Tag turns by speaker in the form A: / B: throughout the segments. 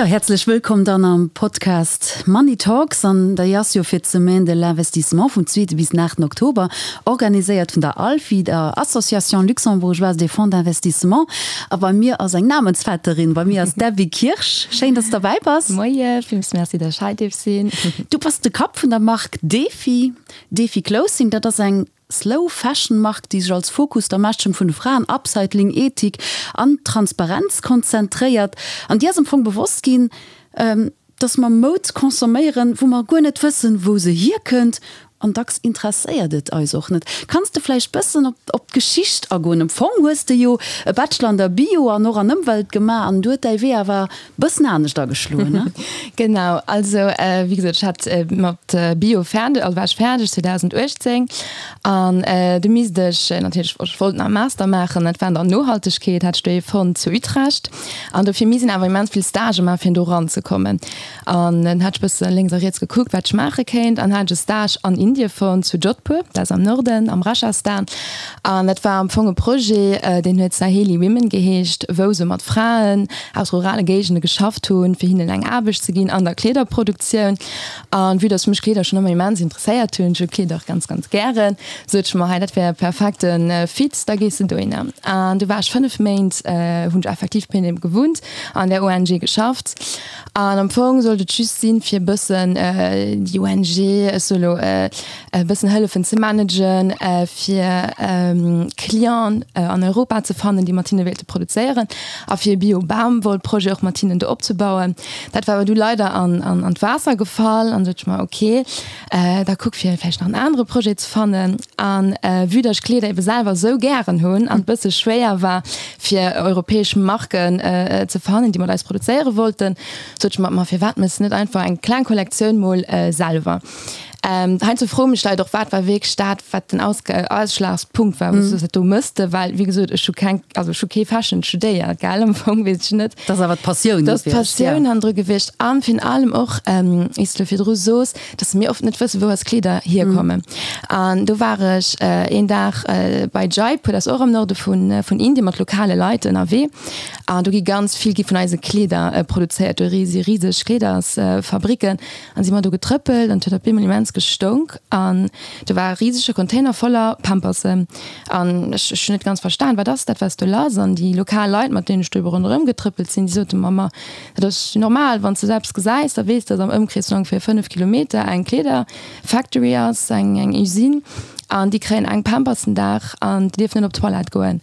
A: Jo, häerzlech wëllkomm dann am Podcast Money Talks. An déi ass jo fir d'Semaine de l'investissement vum zweete bis den aachten Oktober, organiséiert vun der ALFI, der Association luxembourgeoise des fonds d'investissement. A bei mir ass eng Namensvetterin, bei mir ass d'Debbie Kirsch. Schéin, dass du derbäi bass.
B: Moie, villmools Merci, dass ech hei dierf sinn.
A: Du bass de Kapp vun der Mark Defi, Defi Clothing. Dat ass eng Slow Fashion Mark, déi sech als Fokus der Ermächtegung vun de Fraen, Upcycling, Ethik an Transparenz konzentréiert. An dir ass am Fong bewosst ginn, dass mer Moud consomméieren, wou mer guer net wëssen, wou se hierkënnt. An dacks interesséiert et eis och net. Kanns de vläicht bëssen op d'Geschicht agoen? Am Fong hues de jo e Bachelor an der Bio an och an Ëmwelt gemaach an du huet däi Wee awer Bëssen anescht ageschloen, ne?
B: Genau, also wéi gesot, ech hat mat Bio fäerdeg, also war ech fäerdeg 2018 an du misst ech natierlech, ech wollt nach e Master maachen, dat war an der Nohaltegkeet, hat ech do ee fonnt zu Utrecht an dofir misst een awer immens vill Stagë maachen, fir do eranzekommen. An dann hat ech bësse lénks a riets gekuckt, wat ech maache kéint an hat ech e Stage an Indie fonnt, zu Jodhpur, dat ass am Norden, am Rajasthan. An dat war am Fong e Projet, deen huet Saheli Women geheescht, wou se mat Fraen aus rurale Géigende geschafft hunn, fir hinnen eng Aarbecht ze ginn an der Kleederproduktioun. An vue dass mech Kleeder schonn ëmmer immens interesséiert hunn, ech hu Kleeder och ganz, ganz gären, sot ech mer, hei dat wär e perfekte Fit, da gees de dohinner. An du war ech 5 Méint, hunn ech effektiv bei hinne gewunnt, an där ONG geschafft. An am Fong sollt et just sinn, fir e bëssen déi ONG, ech soe lo, e bëssen hëllefen ze managen, fir Clienten an Europa ze fannen, déi mat hinne wéilte produzéieren a fir e Bio-Bamwoll-Projet och mat hinnen do opzebauen. Dat war awer du leider an d'Waasser gefall an du sot ech mer, ok, da kuck fir vläicht nach en anere Projet ze fannen. An vue datt ech Kleeder ebe selwer esou gären hunn an et bësse schwéier war, fir europäesch Marken ze fannen, déi mat eis produzéiere wollten, sot ech mer, ma firwat méchs de net einfach eng kleng Kollektioun mol selwer? Heiansdo froe mech Leit och, wat war wierklech dat, wat den Ausschlagspunkt war, wou s du dat do mëss de? Well, wéi gesot, ech hu keng, also ech hu kee Fashion studéiert, gell, am Fong weess ech net.
A: Dat ass awer d'Passioun
B: gewiescht, ja. Dat ass d'Passioun hannendru gewiescht a virun allem och, wéi s du virdru sos, dass mir oft net wëssen, wou eis Kleeder hierkommen. An do war ech een Dag bei Jaipur, dat ass och am Norde vun Indien, mat lokale Leit ënnerwee. An do gi ganz vill gi vun eise Kleeder produzéiert. Do si riseg Kleedersfabricken. An si mer do getrëppelt an et huet op eemol immens gestounk an do war e risege Container voller Pampersen. An ech ech hunn net ganz verstan, wat ass dat, wat ass do lass? An déi lokal Leit, mat deenen ech do ebe ronderëm getrëppelt sinn, déi sote mer, ma dat ass normal, wann s de esou eppes gesäis, da weess de, datt am Ëmkrees vun ongeféier 5 Kilometer eng Kleederfactory ass, eng eng Usine an déi kréien eng Pampers den Dag an déi dierfen net op d'Toilette goen.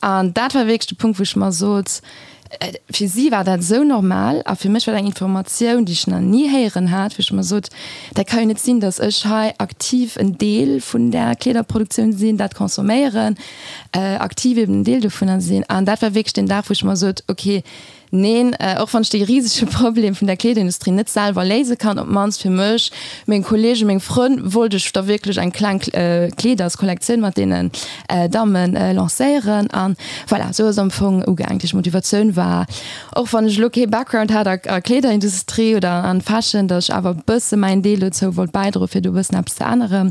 B: An dat war wierklech de Punkt, wou ech mer sot, fir si war dat esou normal a fir mech war dat eng Informatioun, déi ech nach ni héieren hat, wou ech mer sot, dat ka jo net sinn, datt ech hei aktiv en Deel vun där Kleederproduktioun sinn, dat consomméieren, aktiv eben en Deel dovunner sinn. An dat war wierklech deen Dag, wou ech mer sot, okay, Neen, och wann ech dee risege Problem vun der Kleederindustrie net selwer léise kann, op d'mannst fir mech, meng Kollegen, meng Frënn, wollt ech da wierklech eng kleng Kleederskollektioun mat deenen Damme lancéieren. An voilà, esou ass et am Fong ugaangen. Déi Motivatioun war, och wann ech elo kee Background hat a Kleederindustrie oder an Fashion, datt ech awer e bësse mäin Deel dozou wollt bäidroen, fir do e bëssen eppes ze änneren.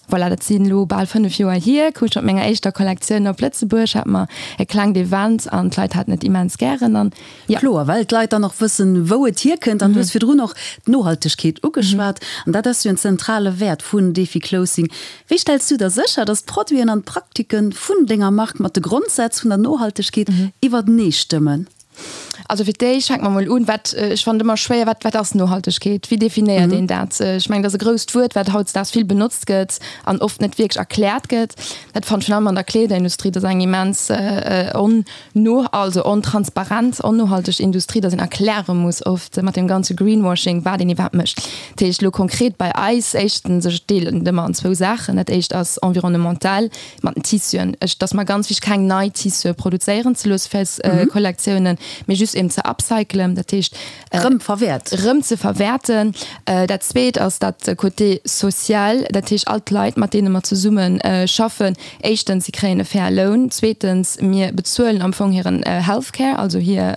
B: Voilà, dat sinn elo bal 5 Joer hier, koum ech mat menger éischter Kollektioun op Lëtzebuerg, hat mer e klengt Event an d'Leit haten et immens gären an
A: jo. Kloer, well d'Leit dann och wëssen, wou et hierkënnt. An du hues virdrun och d'Nohaltegkeet ugeschwat an dat ass jo en zentrale Wäert vun Defi Clothing. Wéi stells du da sécher, dass d'Produiten an d'Praktike vun denger Mark mat de Grondsätz vun der Nohaltegkeet iwwertenee stëmmen?
B: Also fir d'éischt fänke mer mol un, wat, ech fannen et ëmmer schwéier, wat, wat ass Nohaltegkeet? Wéi definéiert een dat? Ech mengen, dat ass e grousst Wuert, wat hautdesdaags vill benotzt gëtt an oft net wierklech erkläert gëtt. Dat fannen ech virun allem an der Kleederindustrie, dat ass eng immens onno, also ontransparent, onnohalteg Industrie, datt een erkläre muss oft mat deem ganze Greenwashing, wat een iwwerhaapt mécht. Dat heescht elo konkret bei eis, éischtens, ech deelen et ëmmer an zwou Saachen, Dat éischt ass environnemental, mat den Tissuen. Ech, et ass mer ganz wichteg, keng nei Tissue produzéieren ze loosse fir eis Kollektiounen, mee just eben ze upcyclen, dat heescht
A: Rëm verwäert.
B: Rëm ze verwäerten. Dat zweet ass dat Côté social, dat heescht all d'Leit, mat deene mer zesumme schaffen, éischtens, si kréien e faire Loun, zweetens, mir bezuelen am Fong hiren Healthcare, also hir,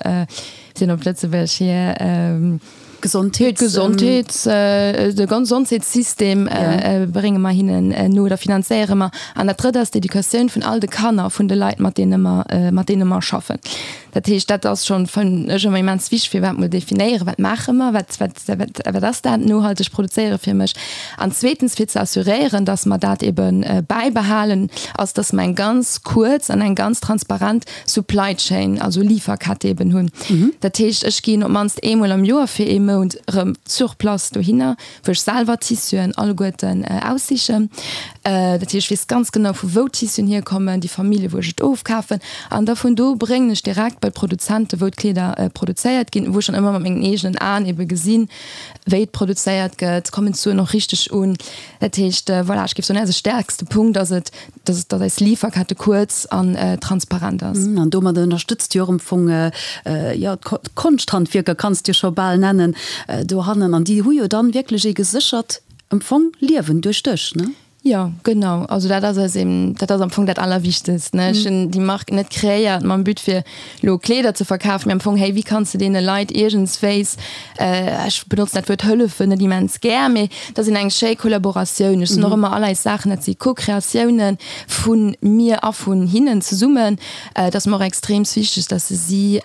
B: sinn op Lëtzebuerg, hir.
A: Gesondheets.
B: Gesondheets, de Gesondheetssystem brénge mer hinnen no oder finanzéiere mer. An dat Drëtt ass d'Educatioun vun all de Kanner vun de Leit, mat deene mer, mat deene mer schaffen. Dat heescht, dat ass schonn, fannen ech, ëmmer immens wichteg, fir iwwerhaapt mol definéieren, wat maache mer, wat, wat, wat, wat ass dat nohalteg produzéiere fir mech? An zweetens fir ze assuréieren, dass mer dat ebe bäibehalen, ass, dass mer eng ganz kuerz an eng ganz transparent Supply Chain, also Liferkette eben hunn. Dat heescht, ech ginn op d'mannst eemol am Joer fir ee Mount erëm sur place dohinner, wou ech selwer d'Tissuen alleguerten aussichen. Dat heescht, ech weess ganz genau, vu wou d'Tissuen hierkommen, déi Famillje wou ech et ofkafen. An da vun do bréngen ech direkt bei d'Produzente wou d'Kleeder produzéiert ginn, wou ech dann ëmmer mat mengen eegenen Aen ebe gesinn, wéi et produzéiert gëtt, kommen d'Suen och richteg un. Dat heescht, voilà, ech géif soen, eise stäerkste Punkt ass et, dass dass eis Liferkette kuerz an transparent ass.
A: An domadder ënnerstëtzt Dir och am Fong, jo, d'Konschthandwierker kanns de jo scho bal nennen, dohannen. An déi hu jo dann wierklech ee geséchert am Fong Liewen duerch dech, ne?
B: Jo, genau. Also dat ass eis eben, dat ass am Fong dat Allerwichtegst, ne? Ech hunn déi Mark net kreéiert mam But fir elo Kleeder ze verkafen, mee am Fong, hey, wéi kanns de deene Leit iergendswéis, ech benotzen dat Wuert hëllefen net immens gär, mee dat ass eng schéi Kollaboratioun. Ech soen och ëmmer, all eis Saachen, dat si Co-Kreatioune vu mir a vun hinnen zesummen. Et ass mer och extreemst wichteg, dass si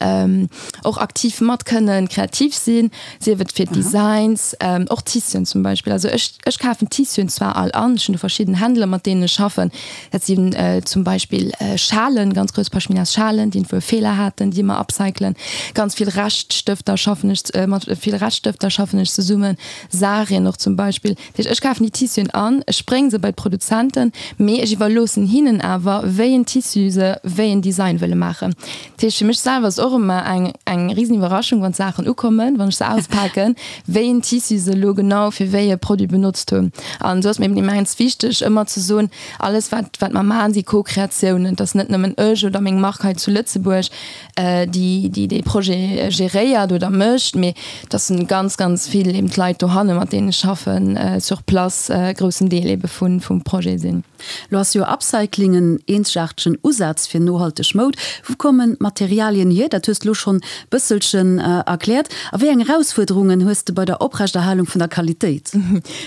B: och aktiv mat kënnen kreativ sinn. Sief et fir d'Designs, och Tissuen zum Beispill. Also ech, ech kafen Tissuen zwar all an, ech hunn do verschidden Händler, mat deenen ech schaffen. Dat sinn zum Beispill Schalen, ganz grouss Pashminas-Schalen, déi iergendwou e Feeler haten, déi mer upcyclen. Ganz vill Reschtstëfter schaffen ech, mat vill Reschtstëfter schaffen ech zesummen, Sarien och zum Beispill. Dat heescht, ech kafen déi Tissuen an, ech brénge se bei d'Produzenten, mee ech iwwerloossen hinnen awer, wéi en Tissu se wéi en Design wëlle maachen. Dat heescht, fir mech selwer ass et och ëmmer eng, eng risen Iwwerraschung, wann d'Saachen ukommen, wann ech se auspaken, wéi een Tissu se elo genau fir wéi e Produit benotzt hunn. An esou ass mir eben immens wichteg, ëmmer ze soen, alles wat, wat mer maachen, si Co-Kreatiounen. Et ass net nëmmen ech oder meng Mark hei zu Lëtzebuerg, déi, déi dee Projet geréiert oder mécht, mee et ass ganz, ganz vill eben d'Leit dohanne mat deenen ech schaffen, sur place e groussen Deel ebe vun, vum Projet sinn.
A: Lo ass jo Upcycling en eenzegaartegen Usaz fir nohalteg Moud. Wou kommen d'Materialien hier? Dat hues de lo schonn bësselchen erkläert. A wéi eng Erausfuerderungen hues de bei der Oprechterhalung vun der Qualitéit?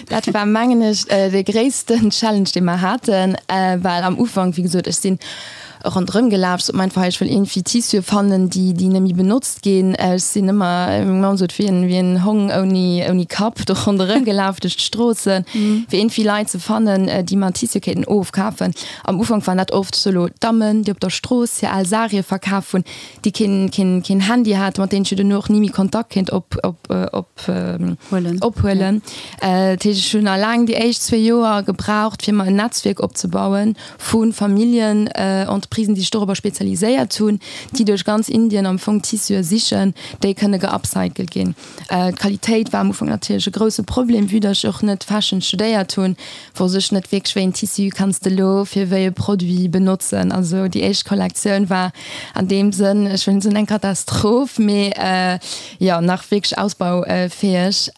B: Dat war mengen ech dee gréissten Challenge dee mer haten, well am Ufank, wéi gesot, ech sinn ronderëm gelaf, sot mer einfach, ech wëll iergendwéi Tissue fannen, déi déi net méi benotzt ginn. Ech sinn ëmmer, meng Mamm sot, wéi en wéi en Hong ouni ouni Kapp do ronderëm gelaf duerch d'Stroossen, fir iergendwéi Leit ze fannen, déi mer Tissue kéinten ofkafen. Am Ufank waren dat oft solo Dammen, déi op der Strooss hir al Sarie verkaf hunn, déi keen keen keen Handy haten, mat deenen ech jo duerno och ni méi Kontakt kéint op op op ophuelen. Dat heescht, ech hunn alleng déi éischt zwee Joer gebraucht, fir mer en Netzwierk opzebauen, vu Familljenentreprisen, déi sech dorobber spezialiséiert hunn, déi duerch ganz Indien am Fong Tissue sichen, déi kënne geupcycelt ginn. D'Qualitéit war am Ufank natierlech e grousse Problem, vue datt ech och net Fashion studéiert hunn, wosst ech net wierklech, wéi een Tissu kanns de elo fir wéi e Produit benotzen. Also déi éischt Kollektioun war an deem Sënn, ech wëll net soen eng Katastroph, mee jo, nach wierklech ausbaufäeg.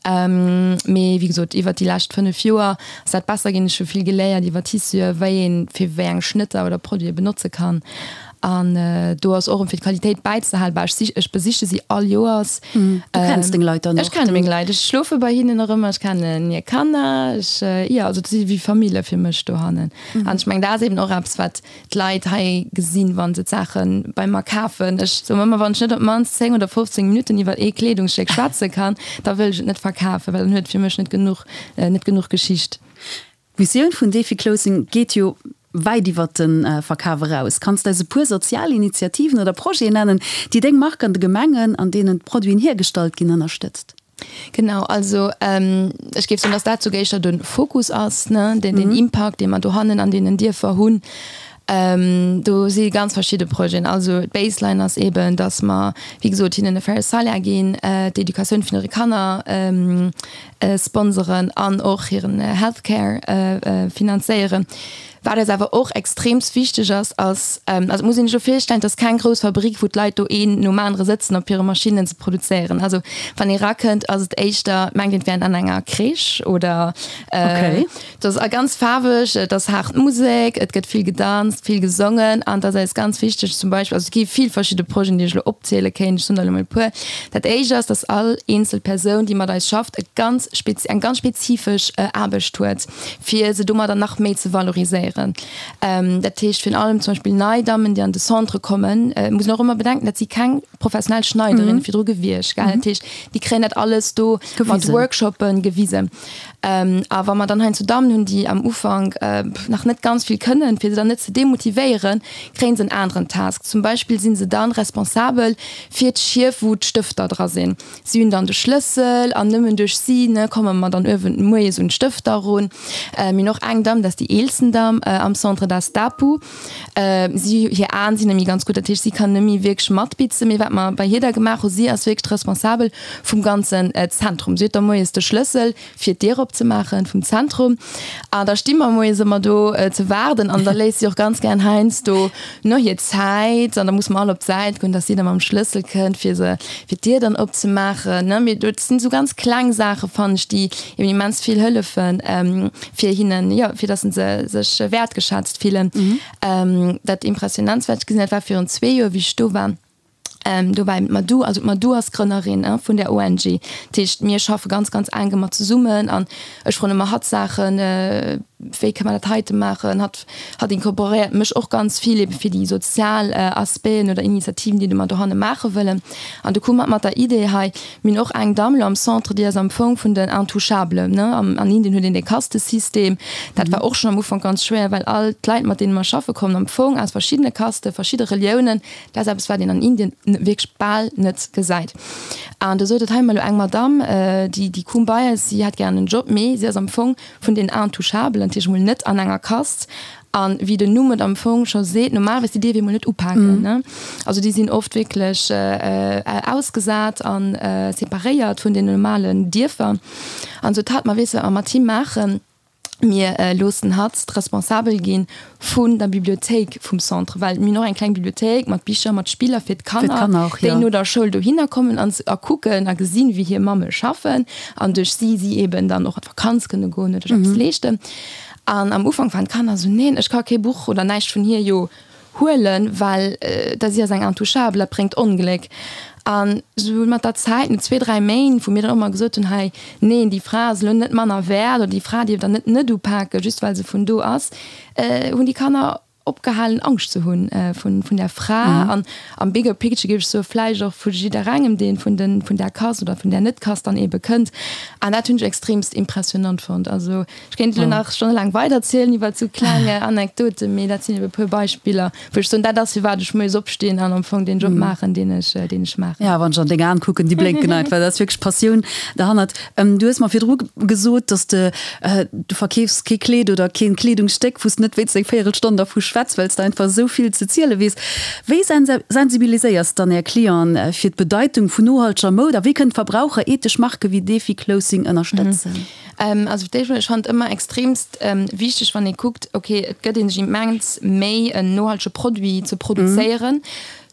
B: Mee wéi gesot, iwwert déi lescht 5 Joer Ass dat besser ginn? Ech hu vill geléiert iwwer Tissue, wéi een fir wéi eng Schnëtter oder Produite benotze kann. An do ass och fir d'Qualitéit bäizehalen, bah ech ech besiche si all Joers.
A: Du kenns deng Leit dann
B: och? Ech kenne meng Leit, ech schlofe bei hinnen och ëmmer, ech kennen hir Kanner, ech, jo, also si wéi Famille fir mech dohannen. An ech mengen dat ass eben och eppes wat d'Leit hei gesinn, wa se d'Saache bei mer kafen. Ech soen ëmmer, wann ech net op d'mannst 10 oder 15 Minutten iwwer ee Kleedungsstéck schwätze kann, da wëll ech et net verkafen, well dann huet et fir mech net genuch, net genuch Geschicht.
A: D'Missioun vun Defi Clothing geet jo wäit iwwer de Verkaf eraus. Kanns de eis e puer sozial Initiativen oder Projeten nennen, déi deng Mark an de Gemengen, an deenen d'Produiten hiergestallt ginn, ënnerstëtzt?
B: Genau, also ech géif soen, dass dat souguer éischter de Fokus ass, ne, deen, deen Impakt, dee mer dohannen an deenen Dierfer hunn. Do si ganz verschidde Projeten. Also d'Baseline ass eeben, dass mer, wéi gesot, hinnen e faire Salaire ginn, d'Educatioun vun hire Kanner sponseren an och hiren Healthcare finanzéieren. Wat eis awer och extreemst wichteg ass, ass, also et muss een sech elo virstellen, et ass keng grouss Fabrick, wou d'Leit do een nom anere sëtzen op hire Maschinnen ze produzéieren. Also wann ee rakënnt, ass et éischter, mengt een, et wär een an enger Crèche oder et ass ganz faarweg, et ass haart Musek, et gëtt vill gedanzt, vill gesongen an et ass eis ganz wichteg zum Beispill, also et gi vill verschidde Projeten, déi ech elo opziele kéint, ech soen der elo mol e puer. Dat éischt ass, dass all eenzel Persoun, déi mat eis schafft, e ganz eng ganz spezifesch Aarbecht huet. fir se domadder nach méi ze valoriséieren. léieren. Dat heescht virun allem zum Beispill nei Dammen, déi an de Centre kommen, muss een och ëmmer bedenken, dat si keng professionell Schneiderinne virdru gewiescht, gell. Dat heescht, déi kréien dat alles do mat Workshoppe gewisen. A wa mer dann heiansdo Dammen hunn, déi am Ufank nach net ganz vill kënnen, fir se dann net ze demotivéieren, kréien se en aneren Task. Zum Beispill si se dann responsabel fir d'Schief, wou d'Stëfter dra sinn. Si hunn dann de Schlëssel an nëmmen duerch si, ne, komme mer dann uewen moies un d'Stëfter erun. Mir hunn och eng Damm, dat ass déi eelsten Damm am Centre, dat ass d'Apu. Si, hir Aen sinn net méi ganz gutt, dat heescht, si kann net méi wierklech matbitzen. Mee wat mer bei hir da gemaach hunn, si ass wierklech d'Responsabel vum ganzen Zentrum. Si huet da moies de Schlëssel, fir d'Dier opzemaachen vum Zentrum. An da sti mer moies ëmmer do ze waarden an da léisst si och ganz gären heiansdo no hir Zäit an da musse mer all op d'Säit goen, dass si da mam Schlëssel kënnt, fir se, fir d'Dier dann opzemaachen, ne. Mee dat sinn esou ganz kleng Saache fannen ech, déi eben immens vill hëllefen, fir hinnen, jo, fir dass se sech wäertgeschätzt fillen. Dat Impressionantst, wat ech gesinn, dat war virun zwee Joer, wéi ech do war, Do war eben d'Madou, also d'Madou ass Grënnerin vun där ONG. Dat heescht, mir schaffe ganz, ganz enk ëmmer zesummen an ech froen ëmmer hatt Saachen, wéi kënne mer dat heite maachen. Hatt, hatt incorporéiert mech och ganz vill ebe fir déi sozial Aspecten oder Initiativen, déi mer dohanne maache wëllen. An du koum hatt mat der Idee hei, mir hunn och eng Damm elo am Centre, déi ass am Fong vun den Intouchables, ne. An Indien huet een dee Kastesystem. Dat war och schonn am Ufank ganz schwéier, well all d'Leit, mat deene mer schaffe kommen am Fong aus verschiddene Kasten, verschidde Reliounen. Dat ass eppes, wat een an Indien wierklech bal net gesäit. An do sot et, hei, elo eng Madamm, déi, déi koum bei eis, si hätt gären en Job, mee si ass am Fong vun den Intouchabelen, dat heescht emol net an enger Kast. An wéi den Numm et am Fong scho seet, normalerweis, déi dierf ee mol net upaken, ne? Also déi sinn oft wierklech ausgesat a separéiert vun den normalen Dierfer. An sot hatt, ma weess de, wat mer mat him maachen? Mir loossen hatt d'Responsabel gi vun der Bibliothéik vum Centre, well mir hunn och eng kleng Bibliothéik mat Bicher, mat Spiller fir d'Kanner, déi no der Schoul dohinner kommen an a kucken a gesinn, wéi hir Mamme schaffen an duerch si si eben dann och an d'Vakanz kënne goen oder sech eppes leeschten. An am Ufank waren d'Kanner esou, Neen, ech ka kee Buch oder näischt vun hir jo huelen, well da si ass eng Intouchable, dat bréngt Ongléck. An esou mat der Zäit, no zwee, dräi Méint, wou mir dann och mol gesot hunn, hei, neen, déi Fra ass elo net manner wäert oder déi Fra dierf der net net upaken, just well se vun do ass, hunn déi Kanner opgehalen Angscht ze hunn vun vun där Fra. An am bigger picture géif ech soen, vläicht och vu jidderengem, dee vun den vun där Kast oder vun där Net-Kast dann eebe kënnt. An dat hunn ech extremst impressionant fonnt. Also Ech kéint elo nach stonnelaang weiderzielen iwwert esou kleng Anekdoten, mee dat sinn ebe puer Beispiller, wou ech soen, dat ass firwat ech moies opstinn an am Fong deen Job maachen, deen ech, deen ech maachen.
A: Ja, wann ech an deng Aen kucken, déi blénken einfach, dat ass wierklech Passioun derhannert. Du hues mer virdru gesot, dass de, du verkeefs kee Kleed oder keen Kleedungsstéck, wou s de net wéinst eng Véierelstonn dervu schwätz, well s de einfach esou vill ze ziele weess. Wéi sensibiliséiers dann Är Clienten fir d'Bedeitung vun nohalteger Moud a wéi kënnen d'Verbraucher ethesch Marke wéi Defi Clothing ënnerstëtzen?
B: Also fir d'éischt mol, ech fannen et ëmmer extremst wichteg, wann ee kuckt, ok, et gëtt een sech immens Méi, en nohaltege Produit ze produzéieren.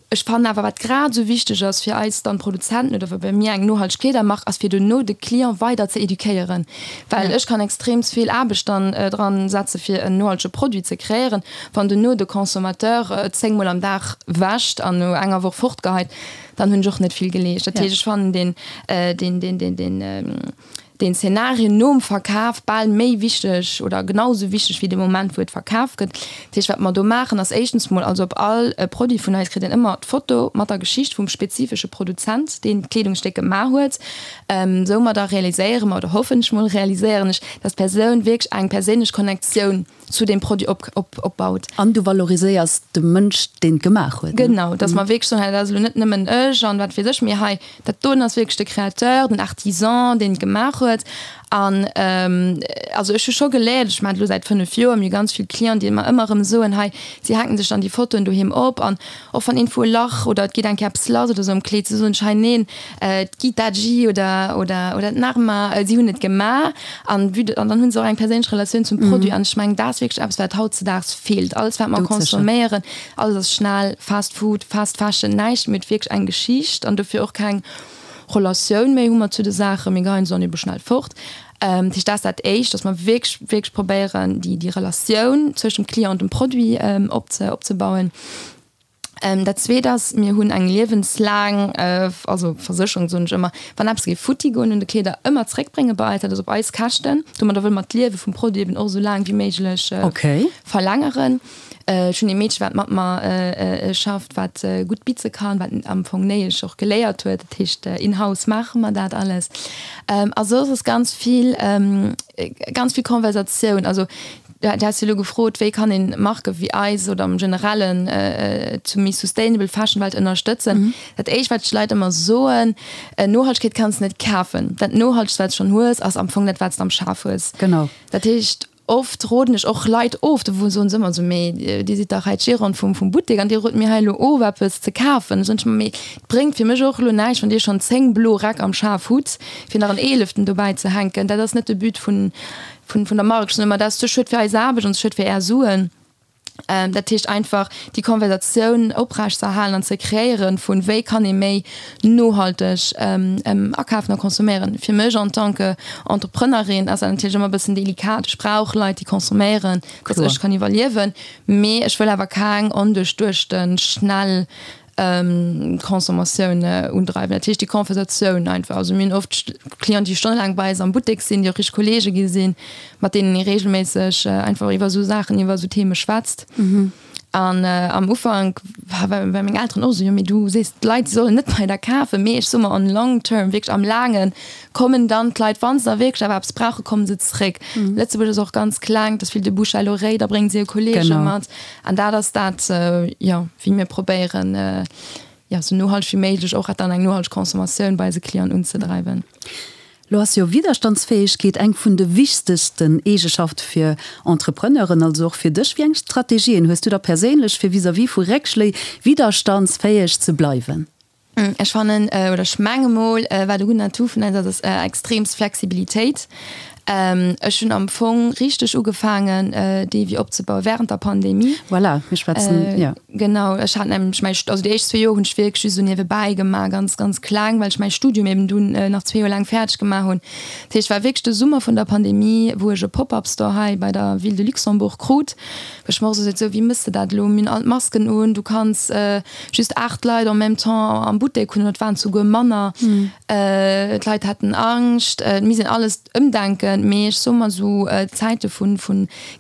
B: Ech fannen awer, wat grad esou wichteg ass fir eis dann Produzenten oder wa mir eng nohalteg Kleedermark ass, fir duerno de Client weider ze eduquéieren. Well ech kann extremst vill Aarbecht dann dran setze fir en nohaltege Produit ze kreéieren, wann duerno de Consommateur et 10 mol am Dag wäscht an no enger Woch fortgeheit, dann hunn ech och net vill geleescht. Dat heescht, ech fannen deen, deen, deen, deen, deen, deen Zeenario nom Verkaf bal méi wichteg oder genau esou wichteg wéi de Moment wou et verkaf gëtt. Dat heescht wat mer do maachen ass éischtens mol, also op all Produit vun eis kritt een ëmmer d'Foto mat der Geschicht vum spezifesche Produzent deen d'Kleedungsstéck gemaach huet. Soumadder realiséiere mer oder hoffen ech mol realiséieren ech, dass d'Persoun wierklech eng perséinlech Connectioun zu deem Produit op, op, opbaut.
A: An du valoriséiers de Mënsch, deen et gemaach huet,
B: ne? Genau, dass mer wierklech soen, hei, dat ass elo net nëmmen ech an wat weess ech, mee hei, dat doen ass wierklech de Créateur, den Artisan, deen et gemaach huet. An also ech hu scho geléiert, ech maachen et elo säit 5 Joer, mir hu ganz vill Clienten, déi mer ëmmer erëm soen, hei, si hänken sech dann déi Fotoen doheem op an och wann iergendwou e Lach oder et geet eng Kéier eppes lass oder sou am Kleed, se soen ech, hei, neen, d'Gita G oder, oder, oder d'Narma, si hunn et gemaach. An vue de, an dann hunn se och eng perséinlech Relatioun zum Produit. An ech mengen, dat ass wierklech eppes, wat hautzedaags feelt. Alles, wat mer consomméieren, alles ass schnell, Fast Food, Fast Fashion, näischt méi huet wierklech eng Geschicht an dofir och keng Relatioun méi hu mer zu de Saachen. Mir geheien se dann ebe schnell fort. Dat heescht, dat ass dat Éischt, dass mer wierklech, wierklech probéieren, déi, déi Relatioun zwëschent dem Client an dem Produit opzebauen. Dat zweet ass, mir hunn eng liewenslaang, also Versécherung soen ech ëmmer, wann eppes géif futti goen un de Kleeder, ëmmer zréckbrénge bei eis. Dat ass op eis Käschten. Domadder wëlle mer d'Liewe vum Produit eben och esou laang wéi méiglech verlängeren. Ech hunn ee Meedche wat mat mer schafft, wat gutt bitze kann, wat am Fong Néiesch och geléiert huet. Dat heescht in-house maache mer dat alles. A soss ass ganz vill, ganz vill Konversatioun. Also Du has jo elo gefrot, wéi kann een Marke wéi eis oder am Generellen zu méi sustainable Fashion Welt ënnerstëtzen. Dat éischt wat ech de Leit ëmmer soen, Nohaltegkeet kanns de net kafen. Dat nohaltegst wat s schonn hues ass am Fong dat wat s de am Schaf hues.
A: Genau.
B: Dat heescht, oft roden ech och Leit of, do soen se ëmmer esou, mee Dir sidd dach hei d'Gérante vum vum Buttek an Dir rot mir hei elo of eppes ze kafen. Da soen ech ëmmer, mee et bréngt fir mech och elo näischt wann Dir schonn 10 blo Räck am Schaf hutt, fir nach en eeleften dobäi ze hänken. Dat ass net de But vun vun vun der Mark. Ech soen ëmmer, dat ass ze schued fir eis Aarbecht an ze schued fir Är Suen. Dat heescht einfach déi Konversatioun oprecht ze erhalen an ze kreéieren vun wéi kann ee méi nohalteg akafen a consomméieren. Fir mech en tant que Entrepreneurin ass dat natierlech ëmmer e bëssen delikat. Ech brauch Leit déi consomméieren, datt ech kann iwwerliewen, mee ech wëll awer keng onduerchduechte schnell Consommatioun undreiwen. Dat heescht déi Conversatioun einfach. Also mir hunn oft Clienten, déi stonnelaang bei eis am Buttek sinn, déi och richteg Kollege gi sinn, mat deenen ee reegelméisseg einfach iwwer esou Saachen, iwwer esou Theme schwätzt. An am Ufank war meng Elteren och esou, jo mee du sees d'Leit se sollen net bei der kafen. Mee ech soe mer on long term, wierklech am Laangen, kommen dann d'Leit, wa se da wierklech awer eppes brauchen, komme se zréck. Lëtzebuerg ass och ganz kleng, et ass vill de Bouche à l'oreille, da bréngen se hir Kollege mat. An dat ass dat, jo, wéi mir probéieren, jo, esou nohalteg wéi méiglech och dann eng nohalteg Consommatioun bei eise Clienten unzedreiwen.
A: Lo ass jo Widderstandsfäegkeet eng vun de wichtegsten Eegeschafte fir Entrepreneuren, also och fir dech. Wéi eng Strategien hues du da perséinlech, fir vis-à-vis vu Réckschléi widderstandsfäeg ze bleiwen?
B: Ech fannen, oder ech menge mol, wat e gudden Atout vun eis ass, ass extreemst Flexibilitéit. Ech hunn am Fong richteg ugefaangen, Devis opzebauen während der Pandemie.
A: Voilà, mir schwätzen, jo.
B: Genau, ech hat nämlech mäi, also déi éischt zwee Joer hunn ech wierklech just esou niewebäi gemaach, ganz, ganz kleng, well ech mäi Studium eben dunn nach zwee Joer laang fäerdeg gemaach hunn. Dat heescht, et war wierklech de Summer vun der Pandemie, wou ech e Pop-up-Store hei bei der Ville de Luxembourg krut, wou ech mer och esou sot, sou, wéi mëss de dat elo? Mir hunn all d'Masken un, du kanns just 8 Leit en même temps am Buttek hunn, et waren souguer manner, d'Leit haten Angscht, et misst een alles ëmdenken. Mee ech soe mer esou, Zäite vu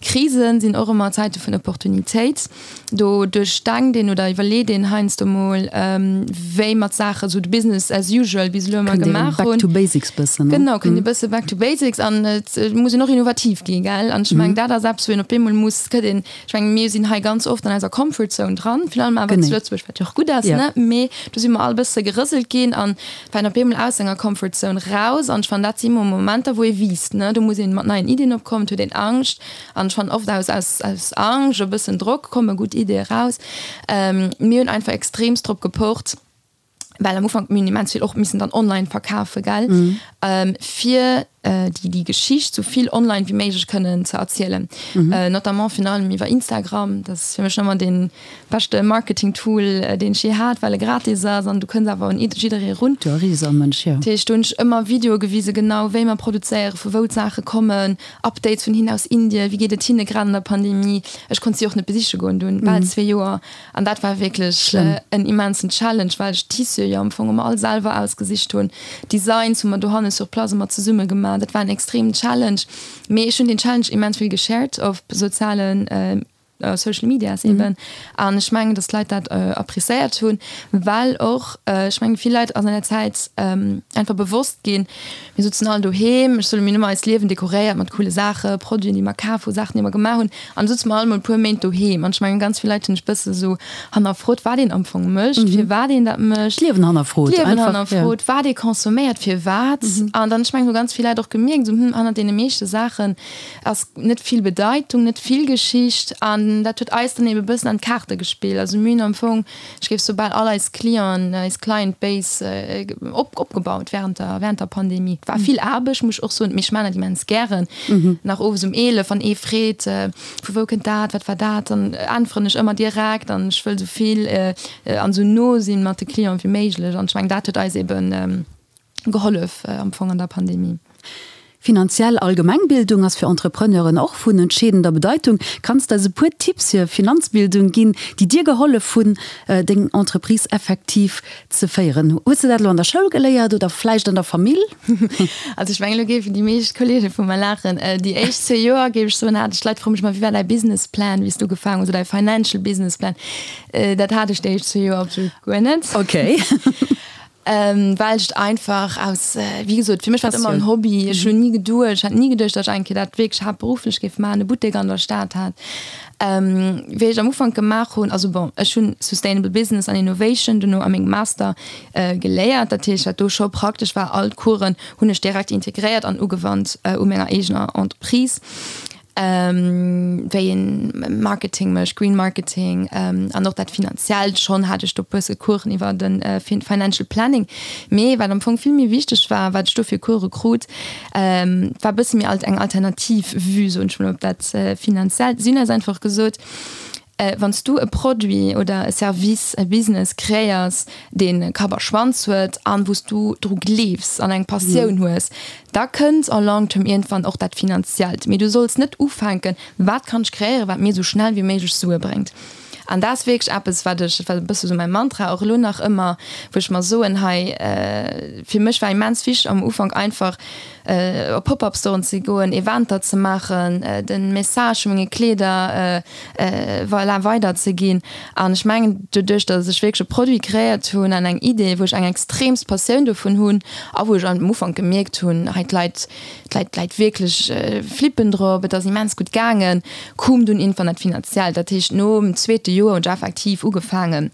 B: Krisen sinn och ëmmer Zäite vun Opportunitéit. Do duerchdenkt een oder iwwerleet een heiansdo mol, wéi mer d'Saache esou de Business as usual bis elo ëmmer gemaach hunn.
A: Back to basics bëssen,
B: ne? Genau, kënnt ee bësse back to basics an et muss een och innovativ ginn, gell? An ech mengen, dat ass eppes, wou een op eemol muss, gëtt een Ech mengen, mir sinn hei ganz oft an eiser Comfort Zone dran, virun allem awer zu Lëtzebuerg, wat jo och gutt ass, ne? Mee do si mer all e bësse gerëselt ginn an waren op eemol aus enger Comfort Zone raus. An ech fannen, dat si mo Momenter, wou ee wiisst, ne? Do muss ee mat neien Iddien opkommen, et huet een Angscht. An ech fannen, oft aus, aus, aus Angscht, e bëssen Drock komme gutt Iddie raus. Mir hunn einfach extreemst drop gepocht, well am Ufank mir hunn immens vill och missen dann online verkafe gell mm. ähm, fir äh, déi déi Geschicht so vill online wie méiglech kënnen ze erzielen mm -hmm. äh, notamment virun allem iwwer Instagram dat ass fir mech ëmmer den beschte Marketing Tool äh, deen ech je hat well e gratis ass an du kënns awer un jidderee run
A: Du erreechs all Mënsch
B: jo. Dat heescht do hunn ech ëmmer Videoe gewise genau wéi mer produzéiere vu wou d'Saache kommen Updates vun hinnen aus Indien wéi geet et hinne grad an der Pandemie ech konnt si och net besiche goen dunn bal zwee Joer An dat war wierklech en immensen Challenge, well ech d'Tissue jo am Fong ëmmer all selwer ausgesicht hunn. D'Designs hu mer dohanne sur place ëmmer zesumme gemaach. Dat war en extremen Challenge. Mee ech hunn deen Challenge immens vill geshared op sozialen, Social Medias eben. An ech mengen, datt d'Leit dat appréciéiert hunn, well och, ech mengen, vill Leit ass an der Zäit einfach bewosst ginn, Mir sutzen all doheem, ech soe mir hunn ëmmer eist Liewen dekoréiert mat coole Saachen, Produiten déi mer kaf hunn, Saachen déi mer gemaach hunn an da sutze mer all mol e puer Méint doheem an ech mengen ganz vill Leit hunn sech bësse sou hannerfrot wat een am Fong mécht, firwat een dat mécht.
A: D'Liewen hannerfrot
B: einfach, d'Liewen hannerfrot, wat ee consomméiert, firwat an dann ech mengen hu ganz vill Leit och gemierkt sou hm hannert deene meeschte Saachen ass net vill Bedeitung, net vill Geschicht an dat huet eis dann ebe bëssen an d'Kaarte gespillt. Also mir hunn am Fong Ech géif soubal all eis Clienten, eis Client Base op, opgebaut während der, während der Pandemie. Et war vill Aarbecht, muss ech och soen, mee ech maachen dat immens gären. Nach owes um 11, wann ee freet, vu wou kënnt dat, wat war dat, dann äntweren ech ëmmer direkt an ech wëll esou vill an esou no sinn mat de Clienten wéi méiglech. An ech mengen, dat huet eis eben gehollef am Fong an der Pandemie.
A: Finanziell Allgemengbildung ass fir Entrepreneuren och vun entscheedender Bedeitung. Kanns de eis e puer Tipps fir Finanzbildung ginn, déi dir gehollef hunn, deng Entreprise effektiv ze féieren? Hues de dat elo an der Schoul geléiert oder vläicht an der Famill?
B: Also ech mengen, elo géifen déi meescht Kolleege vu mer laachen. Déi éischt zwee Joer, géif ech soen, hat ech, d'Leit froe mech ëmmer, wéi war däi Businessplan, wéi s du ugefaangen hues, oder däi Financial Business Plan. Dat hat ech déi éischt zwee Joer absolut guer net.
A: Okay.
B: Well ech et einfach aus, wéi gesot, fir mech war et ëmmer en Hobby. Ech hunn ni geduecht, ech hat ni geduecht, datt ech eng Kéier dat wierklech haaptberufflech géif maachen, e Buttek an der Stad hat. Wéi ech am Ufank gemaach hunn, also bon, ech hunn Sustainable Business an Innovation dono a mengem Master geléiert. Dat heescht, wat do scho praktesch war, all d'Coursen hunn ech direkt integréiert an ugewannt u menger eegener Entreprise. wéi een Marketing mécht, Green Marketing an och dat Finanziellt. Schonn hat ech do e bësse Coursen iwwer de Financial Planning. Mee wat am Fong vill méi wichteg war, wat ech do fir Course krut, war e bësse méi alt eng alternativ Vue, soen ech mol, op dat Finanziellt. Si hunn eis einfach gesot, Wann s du e Produit oder e Service, e Business kreéiers, dee Kapp a Schwanz huet an wou s du dru gleefs an eng Passioun hues, da kënnt en long term iergendwann och dat Finanziellt. Mee du solls net ufänken, wat kann ech kreéieren, wat mir esou schnell wéi méiglech Sue bréngt. An dat ass wierklech eppes, wat ech, dat war e bësse sou mäi Mantra och elo nach ëmmer, wou ech mer soen, hei, fir mech war immens wichteg am Ufank einfach, op Pop-up-Storen ze goen, Eventer ze maachen, de Message vu menge Kleeder voilà weider ze ginn. An ech mengen, doduerch datt ech wierklech e Produit kreéiert hunn an eng Idee, wou ech eng extreemst Passioun dovun hunn a wou ech am Ufank gemierkt hunn, hei d'Leit, d'Leit, d'Leit wierklech flippen drop, et ass immens gutt gaangen, koum dunn iergendwann dat Finanziellt. Dat heescht, nom zweete Joer hunn ech effektiv ugefaangen,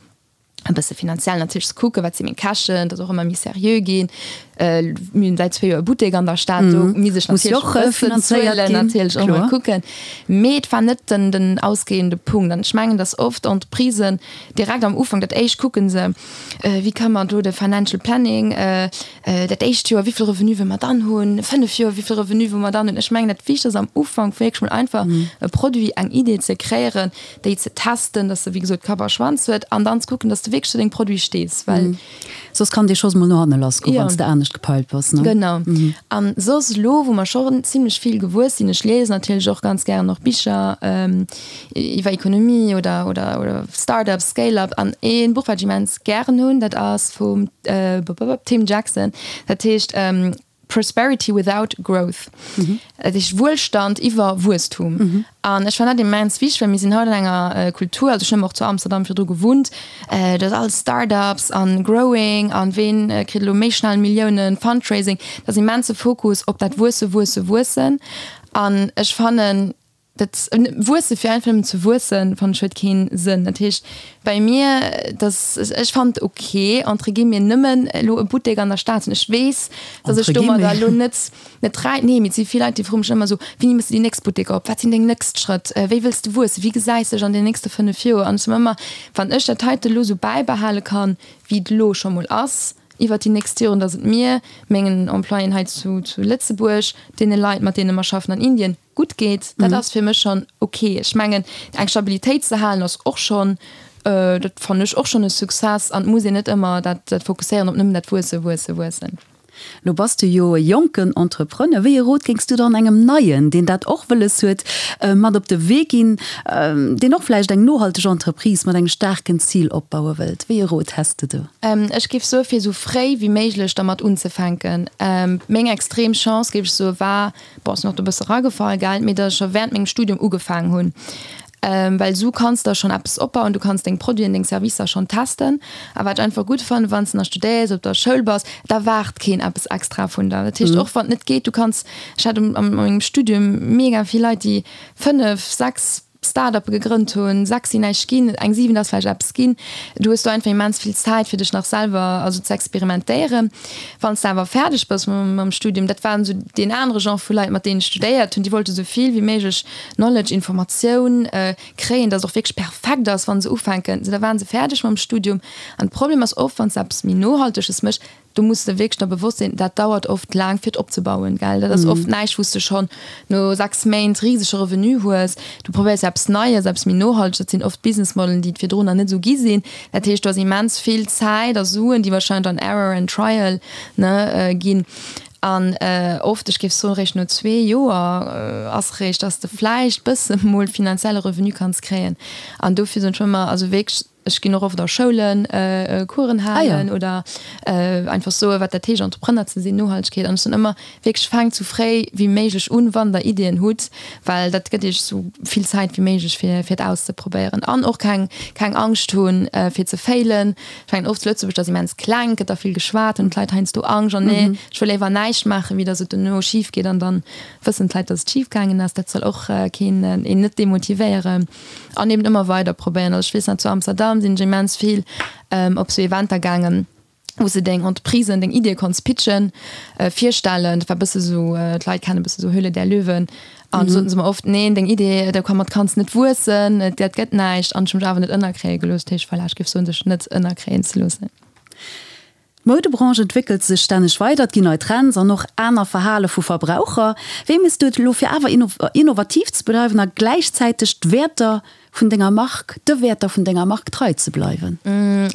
B: e bësse finanziell natierlech ze kucken, wat si meng Käschten, datt och ëmmer méi seriö ginn. Mir hunn säit zwee Joer e Buttek an der Stad, do misst ech natierlech och e bëssen zuelen, natierlech och mol kucken. Mee et war net den, den ausgehende Punkt. An ech mengen, datt oft Entreprisen direkt am Ufank dat éischt kucke se, wéi ka mer do de Financial Planning, dat éischt Joer, wéi vill Revenu wëlle mer dann hunn, 5 Joer, wéi vill Revenu wëlle mer dann hunn. Ech mengen, dat Wichtegst ass am Ufank wierklech mol einfach e Produit, eng Idee ze kreéieren, déi ze testen, dass se wéi gesot Kapp a Schwanz huet an dann ze kucken, dass de wierklech zu dengem Produit stees, well.
A: Soss kann dee Schoss mol no hanne lass goen, wann s de anescht gepeilt bass, ne?
B: Genau. An soss elo, wou mer scho zimlech vill gewuess sinn, ech liesen natierlech och ganz gären och Bicher iwwer Ekonomie oder oder oder Start-ups, Scale-up an ee Buch wat ech immens gären hunn, dat ass vum Tim Jackson, dat heescht Prosperity without growth, dat heescht Wuelstand iwwer Wuesstum. An ech fannen dat immens wichteg, well mir sinn haut an enger Kultur, also ech hunn och zu Amsterdam virdru gewunnt, do ass alles Start-ups an growing an ween kritt elo méi schnell Milliounen, Fundraising, dat ass immense Fokus op dat Wuesse, Wuesse, Wuessen. An ech fannen, Dat Wuesse fir einfach nëmmen ze wuessen, fannen ech huet keen Sënn. Dat heescht bei mir, dass ech fannen et ok entre guillemets nëmmen elo e Buttek an der Stad ze hunn. Ech weess, dass ech domadder elo net net räich, nee, mee et si vill Leit déi froe mech ëmmer esou, wéini méchs de déi nächst Buttek op, wat sinn deng nächst Schrëtt, wéi wëlls de wuessen, wéi gesäis dech an den nächste 5 Joer? An ech soen ëmmer, wann ech dat heite elo esou bäibehale kann, wéi et elo scho mol ass, iwwert déi nächst Joren, dass et mir, mengen Employéen hei zu Lëtzebuerg, deene Leit mat deene mer schaffen an Indien, gutt geet, dat ass fir mech schonn ok. Ech mengen, eng Stabilitéit ze halen ass och schonn, dat fannen ech och schonn e Success an et muss een net ëmmer dat fokusséieren op nëmmen dat Wuessen, Wuessen, Wuessen.
A: Lo bass du jo e jonken Entrepreneur. Wéi e Rot géings du dann engem Neien, deen dat och wëlles huet, mat op de Wee ginn, deen och vläicht eng nohalteg Entreprise mat engem staarken Zil opbaue wëllt? Wéi e Rot häss de do?
B: Ech géif soe fir esou fréi wéi méiglech dermat unzefänken. Meng extrem Chance, géif ech soe, war, bon, sinn och do e bësse ragefall, gell, mee datt ech scho während mengem Studium ugefaangen hunn, well esou kanns de schonn eppes opbauen, du kanns deng Produiten, deng Servicer schonn testen. A wat ech einfach gutt fannen, wann s de nach studéiers, op der Schoul bass, da waart keen eppes extra vun der. Dat heescht, och wann et net geet, du kanns, ech hat a mengem Studium mega vill Leit, déi 5, 6, Start-uppe gegrënnt hunn, 6 sinn näischt ginn, eng 7 ass vläicht eppes ginn. Du hues do einfach immens vill Zäit fir dech nach selwer also ze experimentéieren. Wann s de awer fäerdeg bass mam Studium, dat waren esou deen anere Genre vu Leit mat deenen ech studéiert hunn, déi wollte sou vill wéi méiglech Knowledge, Informatioun kréien, dass et och wierklech perfekt ass wann se ufänken. Sou da waren se fäerdeg mam Studium an de Problem ass oft, wann s de eppes méi Nohalteges méchs, Do muss de wierklech der bewosst sinn, dat dauert oft laang fir et opzebauen, gell. Dat ass oft näischt wou s de schonn no 6 Méint risege Revenu hues. Du probéiers eppes Neies, eppes méi Nohalteges, dat sinn oft Business Modelen, déi et virdrun nach net esou gi sinn. Dat heescht, do ass immens vill Zäit a Suen, déi wahrscheinlech an Error and Trial, ne, ginn. An oft, ech géif soen, réischt no zwee Joer ass réischt, dass de vläicht bësse mol finanzielle Revenu kanns kréien. An dofir soen ech ëmmer, also wierklech, ech ginn och oft a Schoulen Coursen halen oder einfach soen, wat dat heescht, Entrepreneur ze sinn, Nohaltegkeet. An ech soen ëmmer, wierklech, faangt sou fréi wéi méiglech un, wann der Iddien hutt, well dat gëtt iech sou vill Zäit wéi méiglech, fir fir et auszeprobéieren. An och keng keng Angscht hunn, fir ze failen. Ech mengen oft zu Lëtzebuerg, dat ass immens kleng, gëtt da vill geschwat, hunn d'Leit heiansdo Angscht, an nee, ech wëll léiwer näischt maachen, wéi datt et dono schif geet an dann wëssen d'Leit, datt et schif gaangen ass. Dat soll och keen een net demotivéieren. An eben ëmmer weider probéieren. Also ech weess nach, zu Amsterdam sinn ech immens vill op sou Eventer gaangen, wou s de deng Entreprisen, deng Iddie konns pitchen, virstellen. Dat war e bësse sou, d'Leit kennen e bësse sou Höhle der Löwen. An soten se mer oft, neen, deng Idee, domat kanns net wuessen, dat gëtt näischt. An ech hu mech awer net ënnerkréie gelooss. Dat heescht, voilà, ech géif soen, sech net ënnerkréien ze loossen.
A: D'Moudebranche entwéckelt sech stänneg weider, et ginn nei Trends an och aner Verhale vu Verbraucher. Wéi méchs du et elo fir awer innovativ ze bleiwen a gläichzäiteg d'Wäerter vun denger Mark, de Wäerter vun denger Mark trei ze bleiwen?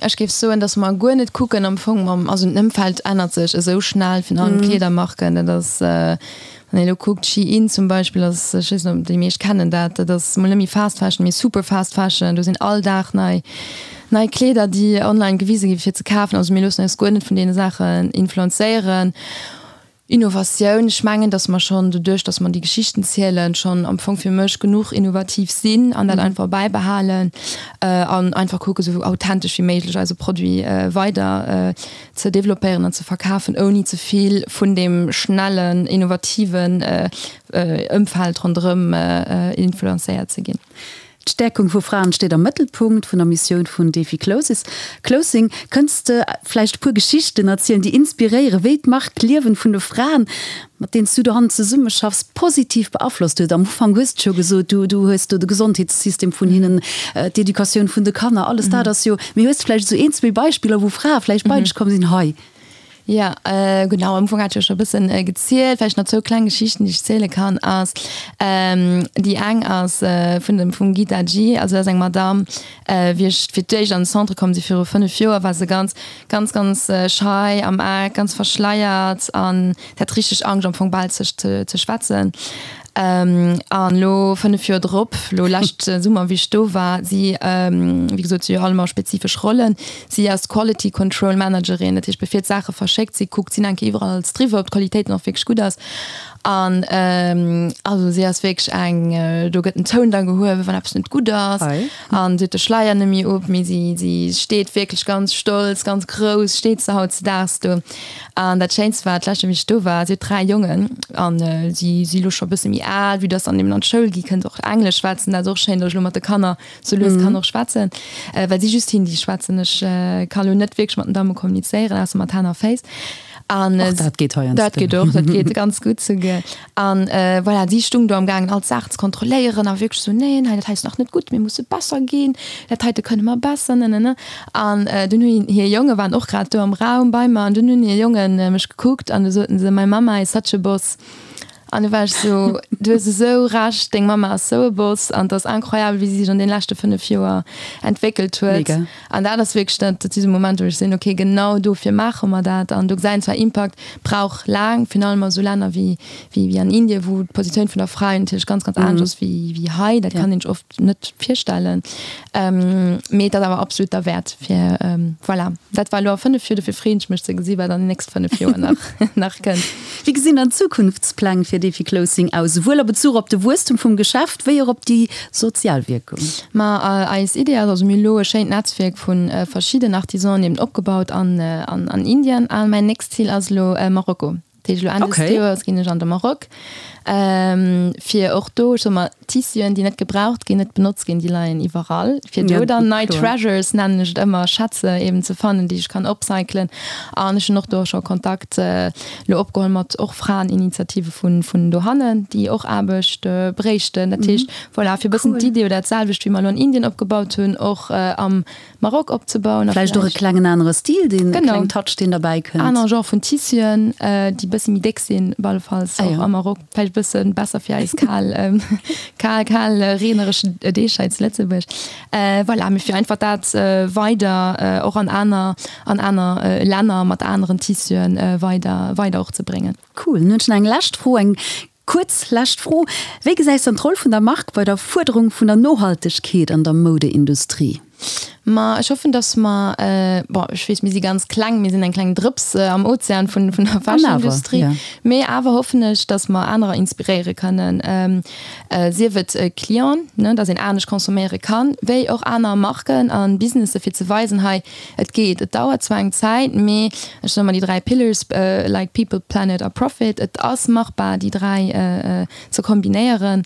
B: Ech géif soen, datt mer guer net kucken am Fong mam, also den Ëmfeld ännert sech esou schnell, virun allem d'Kleedermarken, dat ass, wann een elo kuckt, Shein zum Beispill ass, ech weess net, ob déi meescht kennen dat, dat ass mol net méi Fast Fashion, mee Super Fast Fashion, do sinn all Dag nei, nei Kleeder, déi online gewise gi fir ze kafen. Also mir loossen eis guer net vun deene Saachen influenzéieren. Innovatioun, ech mengen, datt mer schonn doduerch, datt mer déi Geschichten zielen, schonn am Fong fir mech genuch innovativ sinn an dat einfach bäibehalen an einfach kucken, esou authentesch wéi méiglech eise Produit weider ze developpéieren an ze verkafen, ouni ze vill vun deem schnellen, innovativen Ëmfeld ronderëm influenzéiert ze ginn.
A: D'Stäerkung vu Fraen steet am Mëttelpunkt vun der Missioun vun Defi Clothing. Kënns de vläicht e puer Geschichten erzielen, déi inspiréieren, wéi d'Mark d'Liewen vun de Fraen, mat deenen s du dohannen zesummeschaffs, positiv beaflosst huet? Am Ufank hues de scho gesot, du du hues do de Gesondheetssystem vun hinnen, d'Educatioun vun de Kanner, alles dat ass jo. Mee hues de vläicht esou een, zwee Beispiller, wou Frae vläicht bei dech komm sinn, hei,
B: Jo, genau, am Ufank hat ech jo scho e bëssen gezielt. Vläicht nach zwou kleng Geschichten, déi ech ziele kann, ass, déi eng ass vun dem, vum Gita G. Also dat ass eng Madamm, wéi ech fir d'éischt an de Centre komm si viru 5 Joer, war se ganz, ganz, ganz schei am Eck, ganz verschleiert an hat richteg Angscht am Fong bal sech ze schwätzen. An elo 5 Joer drop, elo lescht Summer wéi ech do war, si, wéi gesot, si hu jo all ëmmer spezifesch Rollen, si ass Quality Control Managerin, dat heescht bevir d'Saache verschéckt si kuckt si nach eng Kéier iwwerall alles driwwer, ob d'Qualitéit dann och wierklech gutt ass. An also si ass wierklech eng, do gëtt den Toun da gehuewen, wann eppes net gutt ass. An si huet de Schleier net méi op, mee si, si steet wierklech ganz stolz, ganz grouss steet se hautzedaags do. An dat Schéinst war, d'lescht Joer, wéi ech do war, si huet 3 Jongen an si si lo scho e bësse méi al, vue dass se dann eben an d'Schoul gi kënnt och Englesch schwätzen. Dat ass och schéin, datt ech lo mat de Kanner sou lues kann och schwätzen, well si just Hindi schwätzen. Ech ka lo net wierklech mat den Damme kommunizéieren, ausser mat Hänn a Féiss.
A: An och dat geet heiansdo.
B: Dat geet och, dat geet ganz gutt souguer. An voilà, si stung do am gaangen all d'Saachen ze kontrolléieren a wierklech sou, neen, hei dat hei ass nach net gutt, mir musse besser ginn, dat heite kënne mer besser, nenene. An dunn hunn hir Jonge waren och grad do am Raum bei mer an dunn hunn hir Jonge mech gekuckt an du soten se, My mama is such a boss. An du war ech sou, du hues esou Recht, deng Mama ass sou e Boss an et ass incroyable, wéi si sech an deene leschte 5 Joer entwéckelt huet. Mega. An dat ass wierklech dat, dat si sou Momenter, wou ech sinn, okay, genau dofir maache mer dat. An do gesäit een zwar, Impakt brauch laang, virun allem a sou Länner wéi, wéi, wéi an Indien, wou d'Positioun vun der Fra jo natierlech ganz, ganz anescht ass wéi, wéi hei. Dat kann een sech oft net virstellen. Mee et ass awer absolut derwäert fir, voilà. Dat war elo a 5 Joer, dofir freeën ech mech ze gesi wat an den nächste 5 Joer nach, nach kënnt.
A: Wéi gesinn dann d'Zukunftspläng fir Defi Clothing aus, souwuel a Bezuch op de Wuesstum vum Geschäft wéi och op déi sozial Wierkung?
B: Ma eis Idee ass, also mir hu elo e schéint Netzwierk vu verschidden Artisanen eben opgebaut an an Indien a mäin nächst Zil ass elo Marokko. Dat heescht elo Enn des Joers ginn ech an de Maroc, fir och do, ech soe mer, Tissuen, déi net gebraucht ginn, net benotzt ginn, déi leien iwwerall, fir do dann nei Treasures, nennen ech et ëmmer, Schätze eben ze fannen, déi ech kann upcyclen. An ech hunn och do scho Kontakt elo opgeholl mat och Fraeninitiative vun, vun dohannen, déi och Aarbecht bréichten. Dat heescht, voilà, fir e bëssen d'Idee oder dat selwecht, wéi mer elo an Indien opgebaut hunn, och am Maroc opzebauen.
A: A vläicht och e klengen anere Stil, deen, e klengen Touch, deen derbäi kënnt.
B: Aner Genre vun Tissuen, déi e bësse méi déck sinn, op alle Falls och am Maroc. Vläicht. vläicht e bësse besser fir eis kal, kal, kal reeneresch Deeg hei zu Lëtzebuerg. Voilà, mee fir einfach dat weider och an aner, an aner Länner mat aneren Tissuen weider, weider och ze bréngen.
A: Cool. Nun hunn ech nach eng lescht Fro, eng kuerz lescht Fro. Wéi gesäis dann d'Roll vun der Mark bei der Fuerderung vun der Nohaltegkeet an der Moudeindustrie?
B: Ma ech hoffen, dass mer, bon, ech weess, mir si ganz kleng, mir sinn eng kleng Drëps am Ozean vun der Fashion-Industrie, mee awer hoffen ech, dass mer anerer inspiréiere kënnen, sief et Clienten, ne, dass een anescht consomméiere kann, wéi och aner Marken a Businesse fir ze weisen, hei, et geet. Et dauert zwar eng Zäit, mee ech soe mer déi 3 Pillars, like people, planet a profit, et ass machbar, déi 3 ze kombinéieren.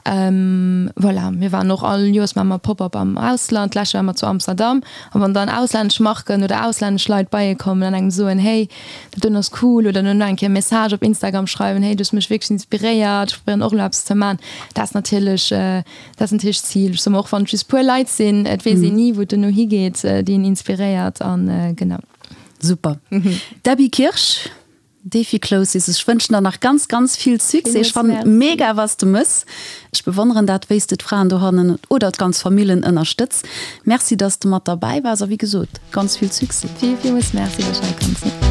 B: Voilà, mir waren och all Joers maache mer Pop-up am Ausland, d'lescht Joer ware mer zu Amsterdam. A wann dann auslännesch Marken oder auslännesch Leit bei ee kommen an engem soen, hey, dat doen ass cool oder dann eng Kéier e Message op Instagram schreiwen, hey, du hues mech wierklech inspiréiert, ech probéieren och elo eppes ze maachen, dat ass natierlech, dat ass natierlech d'Zil. Ech soe mer, och wann et just puer Leit sinn, et weess een ni, wou et duerno higeet, déi een inspiréiert an genau.
A: Super. Debbie Kirsch. Defi Closis, ech wënschen der nach ganz ganz vill Succès. Ech fannen et mega was de mëss. Ech bewonneren dat wéis de d'Fraen dohannen oder d'ganz Famillen ënnerstëtz. Merci dass de mat derbäi waars a wéi gesot ganz vill Succès.
B: Vill villmools Merci dass ech hei konnt sinn.